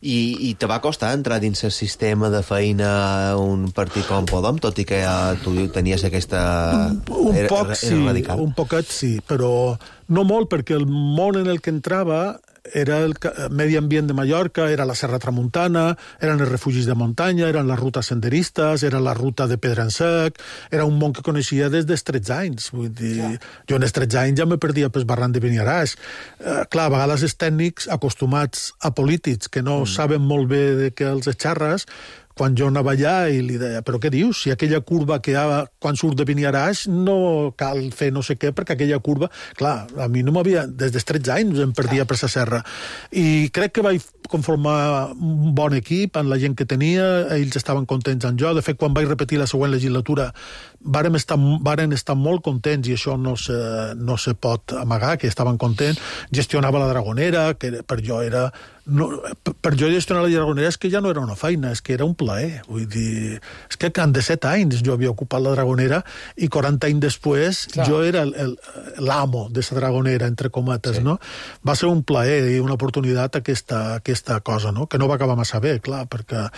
I te va costar entrar dins el sistema de feina a un partit com Podem, tot i que tu tenies aquesta... Un poquet sí, però no molt, perquè el món en el que entrava era el medi ambient de Mallorca, era la Serra Tramuntana, eren els refugis de muntanya, eren les rutes senderistes, era la ruta de Pedra en Sec, era un món que coneixia des dels 13 anys. Vull dir, jo en els 13 anys ja me perdia pel barranc de Beniaràs. Clar, a vegades els tècnics acostumats a polítics que no saben molt bé de què els xarres, quan jo anava allà i li deia, però què dius? Si aquella curva que hi ha quan surt de Beniaràs no cal fer no sé què, perquè aquella curva... Clar, a mi no m'havia... Des dels 13 anys em perdia per la serra. I crec que vaig conformar un bon equip amb la gent que tenia, ells estaven contents amb jo. De fet, quan vaig repetir la següent legislatura, varen estar molt contents, i això no se pot amagar, que estaven contents. Gestionava la Dragonera, que per jo era... per jo gestionar la Dragonera és que ja no era una feina, és que era un plaer. Vull dir, és que en 17 anys jo havia ocupat la Dragonera i 40 anys després jo era l'amo de la Dragonera, entre cometes, no? Va ser un plaer i una oportunitat aquesta cosa, no? Que no va acabar massa bé, clar, perquè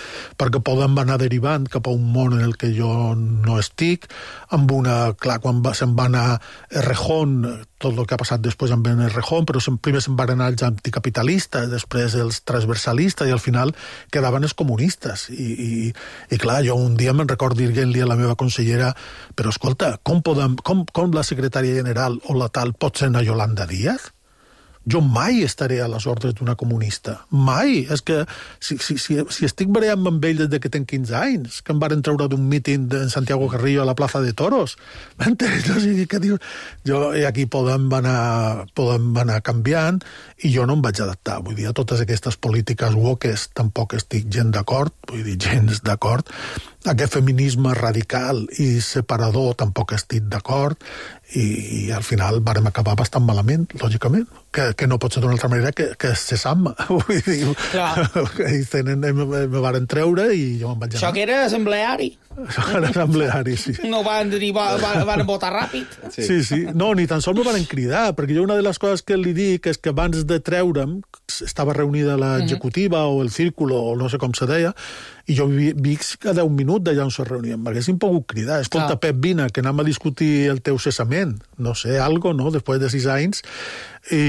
Podem anar derivant cap a un món en el que jo no estic, amb una... Clar, quan se'n va anar Errejón, tot el que ha passat després amb Errejón, però primer se'n van anar els anticapitalistes, després els transversalistes, i al final quedaven els comunistes. I clar, jo un dia me'n recordo dir-li a la meva consellera, però escolta, com la secretària general o la tal pot ser una Yolanda Díaz? Jo mai estaré a les ordres d'una comunista. Mai. És que si estic barallant amb ell des que tenc 15 anys, que em varen treure d'un míting en Santiago Carrillo a la plaça de Toros, m'entens? O sigui, què dius? I aquí Podem anar canviant, i jo no em vaig adaptar. Vull dir, a totes aquestes polítiques woques tampoc estic gens d'acord, Aquest feminisme radical i separador tampoc estic d'acord, i al final vàrem acabar bastant malament, lògicament, que no pot ser d'una altra manera que se sap-me. Vull dir, me varen treure i jo me'n vaig anar. Això que era assembleari. Era assembleari, sí. No van dir, van votar ràpid. Sí. No, ni tan sols me varen cridar, perquè jo una de les coses que li dic és que abans de treure'm, estava reunida l'executiva o el círculo, o no sé com se deia, i jo vic cada un minut d'allà on se reuníem. M'haguessin pogut cridar. Escolta, Pep, vine, que anem a discutir el teu cessament. No sé, algo, no?, després de 6 anys. I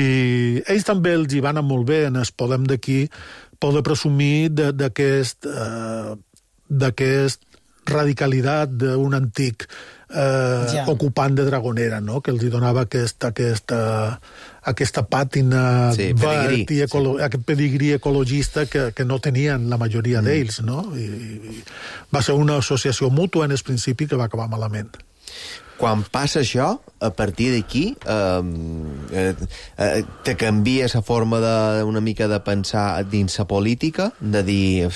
ells també els hi van anar molt bé en el Podem d'aquí poder presumir d'aquest radicalitat d'un antic ocupant de Dragonera, no?, que els hi donava aquesta pàtina verd i aquest pedigrí ecologista que no tenien la majoria d'ells, no? I va ser una associació mútua en el principi que va acabar malament. Quan passa això, a partir d'aquí, te canvia la forma una mica de pensar dins la política, de dir,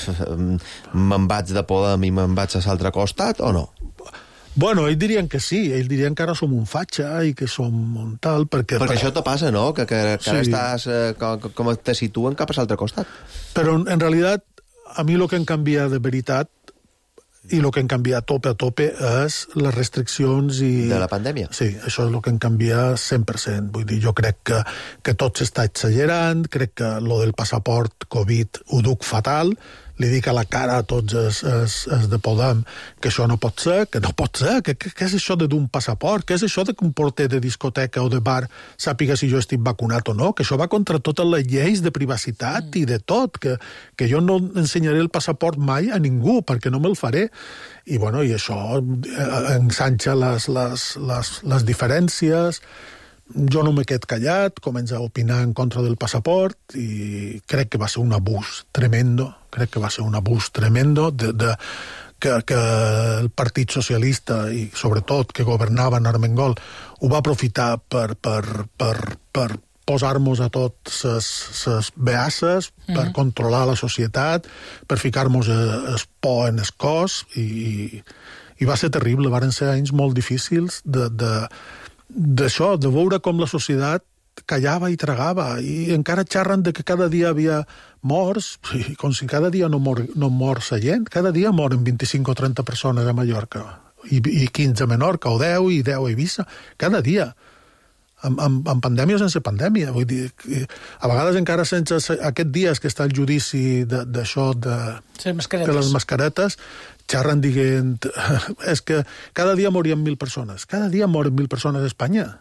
me'n vaig de Podem i me'n vaig a l'altre costat, o no? Bueno, ells dirien que sí, ells dirien que ara som un fatxa i que som un tal, perquè això te passa, no?, que ara estàs, com te situen cap a l'altre costat. Però, en realitat, a mi el que em canvia de veritat i el que han canviat a tope és les restriccions i... De la pandèmia? Sí, això és el que han canviat 100%. Vull dir, jo crec que tot s'està exagerant, crec que lo del passaport Covid ho duc fatal, li dic a la cara a tots els de Podem que això no pot ser, que què és això d'un passaport, què és això de que un porter de discoteca o de bar sàpiga si jo estic vacunat o no, que això va contra totes les lleis de privacitat i de tot, que jo no ensenyaré el passaport mai a ningú, perquè no me'l faré. I, bueno, i això ensanxa les diferències. Jo no m'he quedat callat, comença a opinar en contra del passaport i crec que va ser un abús tremendo, que el Partit Socialista i sobretot que governava en Armengol ho va aprofitar per posar-nos a tots les beasses, per controlar la societat, per ficar-nos el por en el cos i va ser terrible, van ser anys molt difícils d'això, de veure com la societat callava i tragava, i encara xerren de que cada dia havia morts, com si cada dia no mor la gent, cada dia moren 25 o 30 persones a Mallorca, i 15 a Menorca, o 10 i 10 a Eivissa, cada dia, amb pandèmia o sense pandèmia, vull dir, a vegades encara sense aquests dies que està el judici d'això de les mascaretes, xerren dient, és que cada dia morien 1.000 persones. Cada dia moren 1.000 persones a Espanya.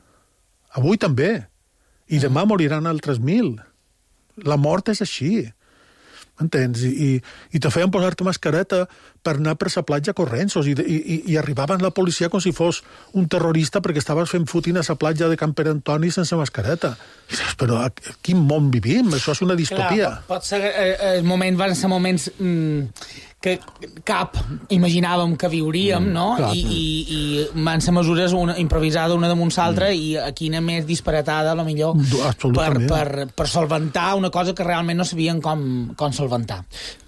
Avui també. I demà moriran altres 1.000. La mort és així. M'entens? I te feien posar-te mascareta per anar per la platja corrents i arribaven la policia com si fos un terrorista perquè estaves fent footing a la platja de Can Pere Antoni sense mascareta. Però a quin món vivim? Això és una distopia. Clar, pot ser van ser moments que cap imaginàvem que viuríem, no? I van ser mesures improvisades una damunt l'altra i quina més disparatada, a lo millor, per solventar una cosa que realment no sabien com solventar.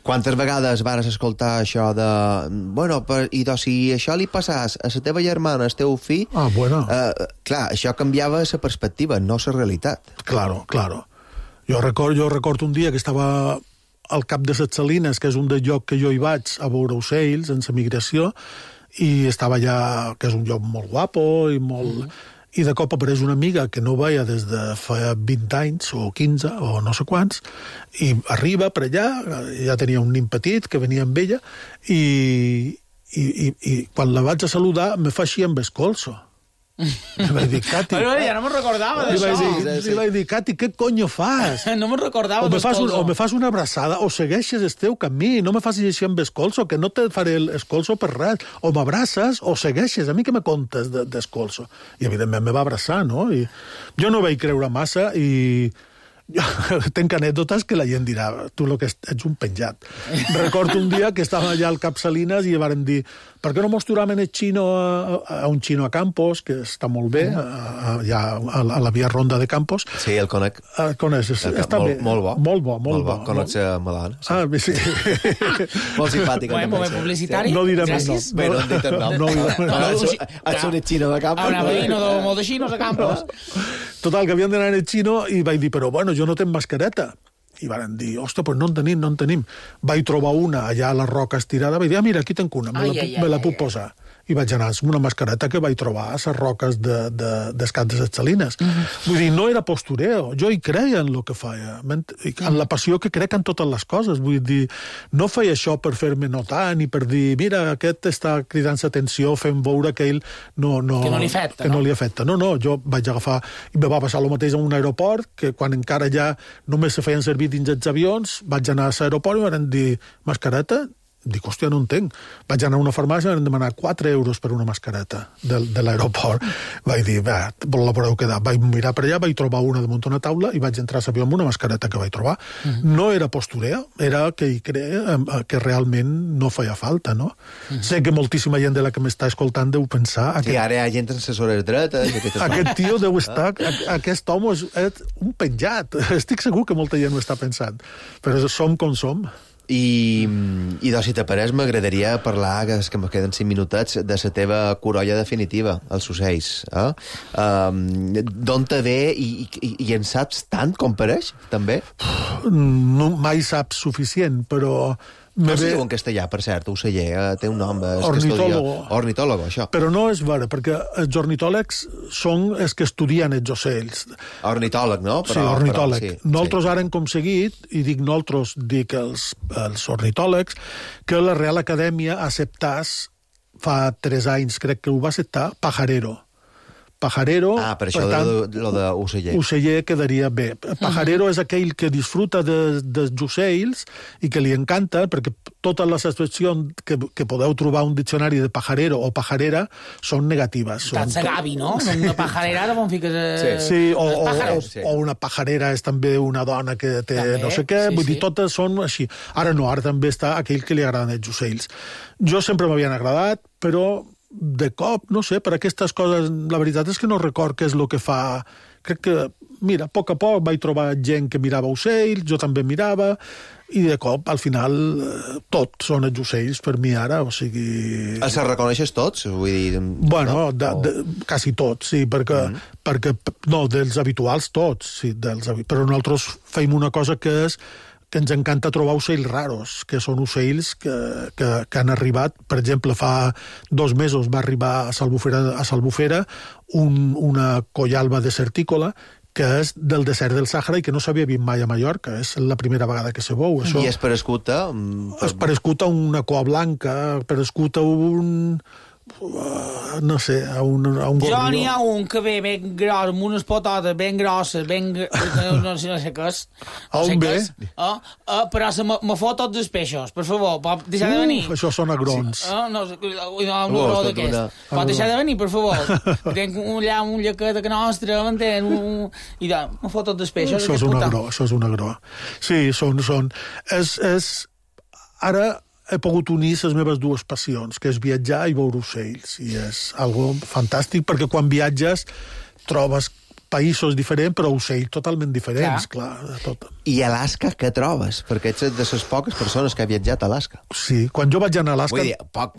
Quantes vegades vares escoltar això de... Bueno, idò, si això li passàs a la teva germana, al teu fill... Clar, això canviava la perspectiva, no la realitat. Claro. Jo recordo un dia que estava al Cap de les Salines, que és un del lloc que jo hi vaig a veure ocells en la migració, i estava allà, que és un lloc molt guapo i molt... I de cop apareix una amiga que no veia des de fa 20 anys o 15 o no sé quants, i arriba per allà, ja tenia un nin petit que venia amb ella, i quan la vaig a saludar me fa així amb el colso. Li vaig dir, Cati... ja no me'n recordava d'això. Li vaig dir, Cati, què conyo fas? No me'n recordava del colso. O me fas una abraçada o segueixes el teu camí, no me facis així amb el colso, que no te faré el colso per res. O m'abraces o segueixes. A mi què me contes del colso? I evidentment me va abraçar, no? I jo no vaig creure massa i... Jo tenc anècdotes que la gent dirà, tu lo que ets un penjat. Recordo un dia que estava allà al Cap Salines i varen dir, per què no mos turàvem el xino a un xino a Campos, que està molt bé, allà a la via Ronda de Campos. Sí, el conec. El coneixes, està bé. Molt bo. Molt bo. Conec a Malana. Sí. Molt simpàtic. Moment publicitari. No direm el nom. Bé, no hem dit el nom. Ets un xino de Campos. Una veïna de molt de xinos a Campos. Total, que havien d'anar en el xino i vaig dir, però bueno, jo no tenc mascareta. I van dir, ostres, pues no en tenim. Vaig trobar una allà a la roca estirada, vaig dir, mira, aquí tenc una, me la puc posar. I vaig anar amb una mascareta que vaig trobar a les roques del Cap de les Salines. Vull dir, no era postureo, jo hi creia en el que feia, en la passió que crec en totes les coses. Vull dir, no feia això per fer-me notar, ni per dir, mira, aquest està cridant l'atenció, fent veure que ell no li afecta. No, jo vaig agafar, i me va passar el mateix en un aeroport, que quan encara ja només se feien servir dins els avions, vaig anar a l'aeroport i van dir, mascareta? Dic, hòstia, no en tenc. Vaig anar a una farmàcia i van demanar 4 euros per una mascareta de l'aeroport. Vaig dir, va, la podeu quedar. Vaig mirar per allà, vaig trobar una damunt una taula i vaig entrar a l'avió amb una mascareta que vaig trobar. No era postureo, era que hi creia que realment no feia falta, no? Sé que moltíssima gent de la que m'està escoltant deu pensar... I ara hi ha gent amb assessores dretes... Aquest tio deu estar... Aquest home és un penjat. Estic segur que molta gent ho està pensant. Però som com som. I doncs, si t'apareix, m'agradaria parlar, que me queden 5 minutets, de la teva corolla definitiva, els ocells. D'on te ve i en saps tant com pareix, també? No, mai saps suficient, però Com se diu en castellà, per cert, oceller? Té un nom. Ornitólogo. Ornitólogo, això. Però no és vera, perquè els ornitòlegs són els que estudien els ocells. Ornitòleg, no? Sí, ornitòleg. Nosaltres ara hem aconseguit, i dic nosaltres, dic els ornitòlegs, que la Real Acadèmia acceptàs, fa 3 anys crec que ho va acceptar, pajarero. Pajarero... per això lo d'oceller. Oceller quedaria bé. Pajarero és aquell que disfruta dels ocells i que li encanta, perquè totes les expressions que podeu trobar un diccionari de pajarero o pajarera són negatives. Tant s'agavi, no? Una pajarera, ara on fiques... Sí, o una pajarera és també una dona que té també, no sé què, vull dir, totes són així. Ara no, ara també està aquell que li agraden els ocells. Jo sempre m'havien agradat, però de cop, no sé, per aquestes coses, la veritat és que no record què és el que fa. Crec que, mira, a poc vaig trobar gent que mirava ocells, jo també mirava, i de cop, al final, tot són els ocells per mi ara, o sigui... Els reconeixes tots? Vull dir... Bueno, quasi tots, sí, perquè... No, dels habituals tots, sí, però nosaltres feim una cosa que és que ens encanta trobar ocells raros, que són ocells que han arribat. Per exemple, fa 2 mesos va arribar a Salbufera una collalba desertícola que és del desert del Sàhara i que no s'havia vist mai a Mallorca. És la primera vegada que se veu. Això. I és per escuta? És per escuta una coa blanca, per escuta un... no sé, a un gorrió. Jo n'hi ha un que ve ben gros, amb unes pototes ben grosses, no sé què és. On ve? Però me fot tots els peixos, per favor, pot deixar de venir. Això són agrons. No, pot deixar de venir, per favor. Tenc allà un llaquet que nostre, m'entén? I me fot tots els peixos. Això és un agró. Sí, són... Ara he pogut unir les meves 2 passions, que és viatjar i veure ocells. I és algo fantàstic, perquè quan viatges trobes països diferents, però ocells totalment diferents, clar. Tot. I Alaska, què trobes? Perquè ets de les poques persones que ha viatjat a Alaska. Sí, quan jo vaig anar a Alaska... Vull dir, poc,